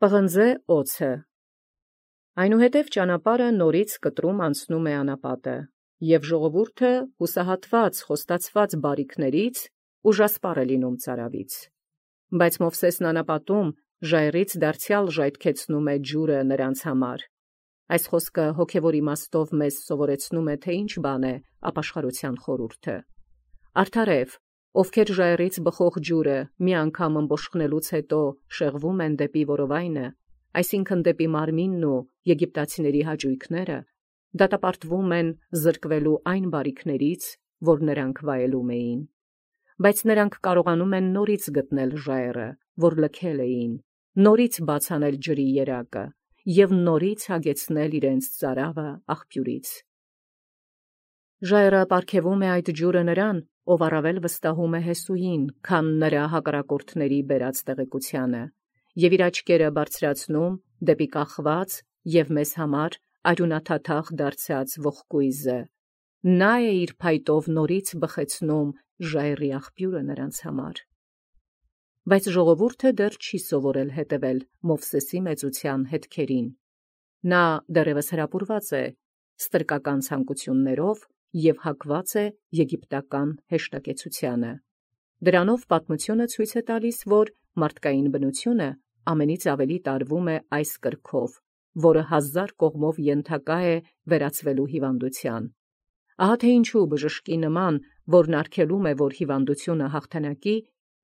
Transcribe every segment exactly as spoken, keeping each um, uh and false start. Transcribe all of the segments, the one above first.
Պղնձե օձը։ Այնուհետև ճանապարհը նորից կտրում անցնում է անապատը, և ժողովուրդը հուսահատված խոստացված բարիքներից ուժասպառ է լինում ծարավից։ Բայց Մովսեսն անապատում ժայռից դարձյալ ժայթքեցնում է ջուրը նրանց համար։ Այս խոսքը հոգևոր իմաստով մեզ սովորեցնում է, թե ինչ բան է ապաշխարության խորհուրդը։ Արդարև, ովքեր ժայռից բխող ջուրը մի անգամ ըմբոշխնելուց հետո շեղվում են դեպի որովայնը, այսինքն դեպի մարմինն ու եգիպտացիների հաճույքները, դատապարտվում են զրկվելու այն բարիքներից, որ նրանք վայելում էին։ Բայց նրանք կարողանում են նորից գտնել ժայռը, որ լքել էին, նորից բաց անել ջրի երակը և նորից հագեցնել իրենց ծարավը աղբյուրից։ Ժայռը պարգևում է այդ ջուրը նրան, ով առավել վստահում է Հեսուին, քան նրա հակառակորդների բերած տեղեկությանը, և իր աչքերը բարձրացնում դեպի կախված և մեզ համար արյունաթաթախ դարձած ողկույզը։ Նա է իր փայտով նորից բխեցնում ժայռի աղբյուրը նրանց համար։ Բայց ժողովուրդը դեռ չի սովորել հետևել Մովսեսի մեծության հետքերին։ Նա դեռևս հրապուրված է ստրկական ցանկություններով և հակված է եգիպտական հեշտակեցությանը։ Դրանով պատմությունը ցույց է տալիս, որ մարդկային բնությունը ամենից ավելի տարվում է այս կրքով, որը հազար կողմով ենթակա է վերածվելու հիվանդության։ Ահա թե ինչու բժշկի նման, որն արգելում է, որ հիվանդությունը հաղթանակի,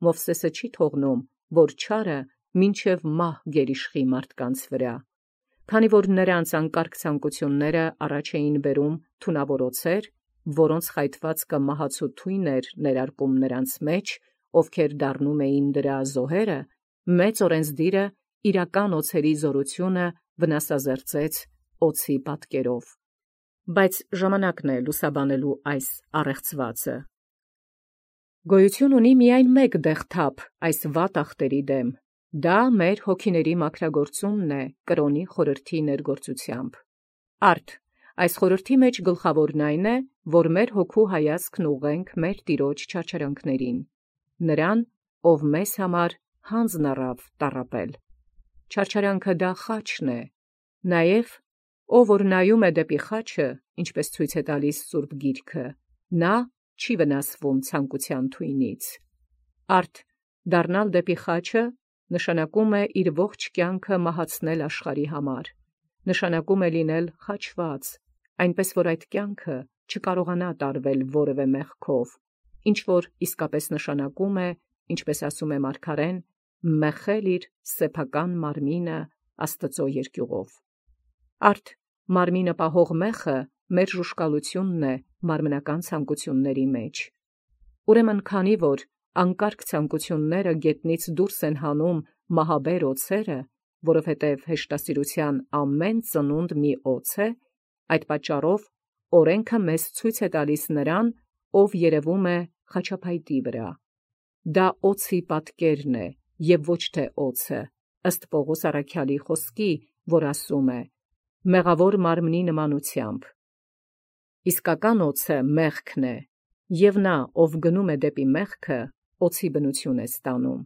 Մովսեսը չի թողնում, որ չարը մինչև մահ գերիշխի մարդկանց վրա։ Քանի որ նրանց անկարգ ցանկությունները առաջ էին բերում թունավոր օձեր, որոնց խայթվածքը մահացու թույն էր ներարկում նրանց մեջ, ովքեր դառնում էին դրա զոհերը, մեծ օրենսդիրը իրական օձերի զորությունը վնասազերծեց օձի պատկերով։ Բայց ժամանակն է լուսաբանելու այս առեղծվածը։ Գոյություն ունի միայն մեկ դեղթափ այս վատ ախտերի դեմ, դա մեր հոգիների մաքրագործումն է կրոնի խորհրդի ներգործությամբ։ Արդ, այս խորհրդի մեջ գլխավորն այն է, որ մեր հոգու հայացքն ուղղենք մեր Տիրոջ չարչարանքներին, նրան, ով մեզ համար հանձն առավ տառապել։ Չարչարանքը դա խաչն է, նաև ով որ նայում է դեպի խաչը, ինչպես ցույց է տալիս Սուրբ Գիրքը, նա չի վնասվում ցանկության թույնից։ Արդ, դառնալ դեպի խաչը նշանակում է իր ողջ կյանքը մահացնել աշխարհի համար, նշանակում է լինել խաչված, այնպես որ այդ կյանքը չկարողանա տարվել որևէ մեղքով, ինչ որ իսկապես նշանակում է, ինչպես ասում է մարգարեն, մեղել իր սեփական մարմինը Աստծո երկյուղով։ Արդ, մարմինը պահող մեղը մեր ժուշկալությունն է մարմնական ցանկությունների մեջ։ Ուրեմն քանի որ անկարգ ցանկությունները գետնից դուրս են հանում մահաբեր օձերը, որովհետև հեշտասիրության ամեն ծնունդ մի օձ է, այդ պատճառով օրենքը մեզ ցույց է տալիս նրան, ով երևում է խաչափայտի վրա։ Դա օձի պատկերն է և ոչ թե օձը, ըստ Պողոս առաքյալի խոսքի, որ ասում է. «Մեղավոր մարմնի նմանությամբ»։ Իսկական օձը մեղքն է, և նա, ով գնում է դեպի մեղքը, օձի բնություն է ստանում։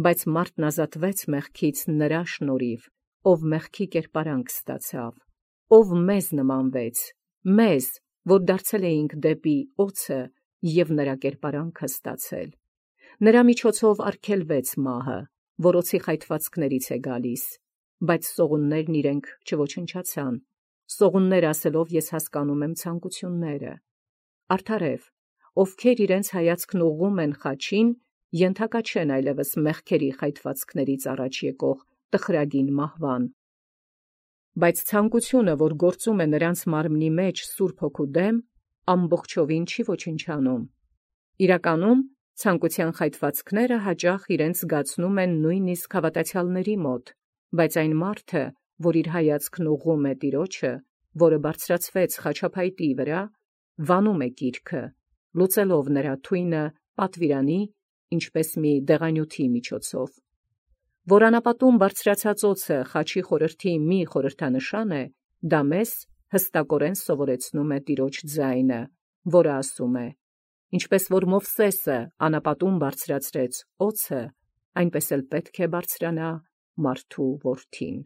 Բայց մարդն ազատվեց մեղքից նրա շնորհիվ, ով մեղքի կերպարանք ստացավ, ով մեզ նմանվեց, մեզ, որ դարձել էինք դեպի օձը և նրա կերպարանքը ստացել։ Նրա միջոցով արգելվեց մահը, որ օձի խայթվածքներից է գալիս, բայց սողուններն իրենք չոչնչացան։ Սողուններ ասելով ես հասկանում եմ ցանկությունները։ Արդարև, ովքեր իրենց հայացքն ուղղում են խաչին, ենթակա չեն այլևս մեղքերի խայթվածքներից առաջ եկող տխրագին մահվան։ Բայց ցանկությունը, որ գործում է նրանց մարմնի մեջ Սուրբ Հոգու դեմ, ամբողջովին չի ոչնչանում։ Իրականում ցանկության խայթվածքները հաճախ իրենց զգացնում են նույնիսկ հավատացյալների մոտ, բայց այն մարդը, որ իր հայացքն ուղղում է Տիրոջը, որը բարձրացվեց խաչափայտի վրա, վանում է գիրքը, լուծելով նրա թույնը պատվիրանի, ինչպես մի դեղանյութի միջոցով։ Որ անապատում բարձրացած օձը խաչի խորհրդի մի խորհրդանշան է, դա մեզ հստակորեն սովորեցնում է Տիրոջ ձայնը, որը ասում է. «Ինչպես որ Մովսեսը անապատում բարձրացրեց օձը, այնպես էլ պետք է բարձրանա մարդու որդին։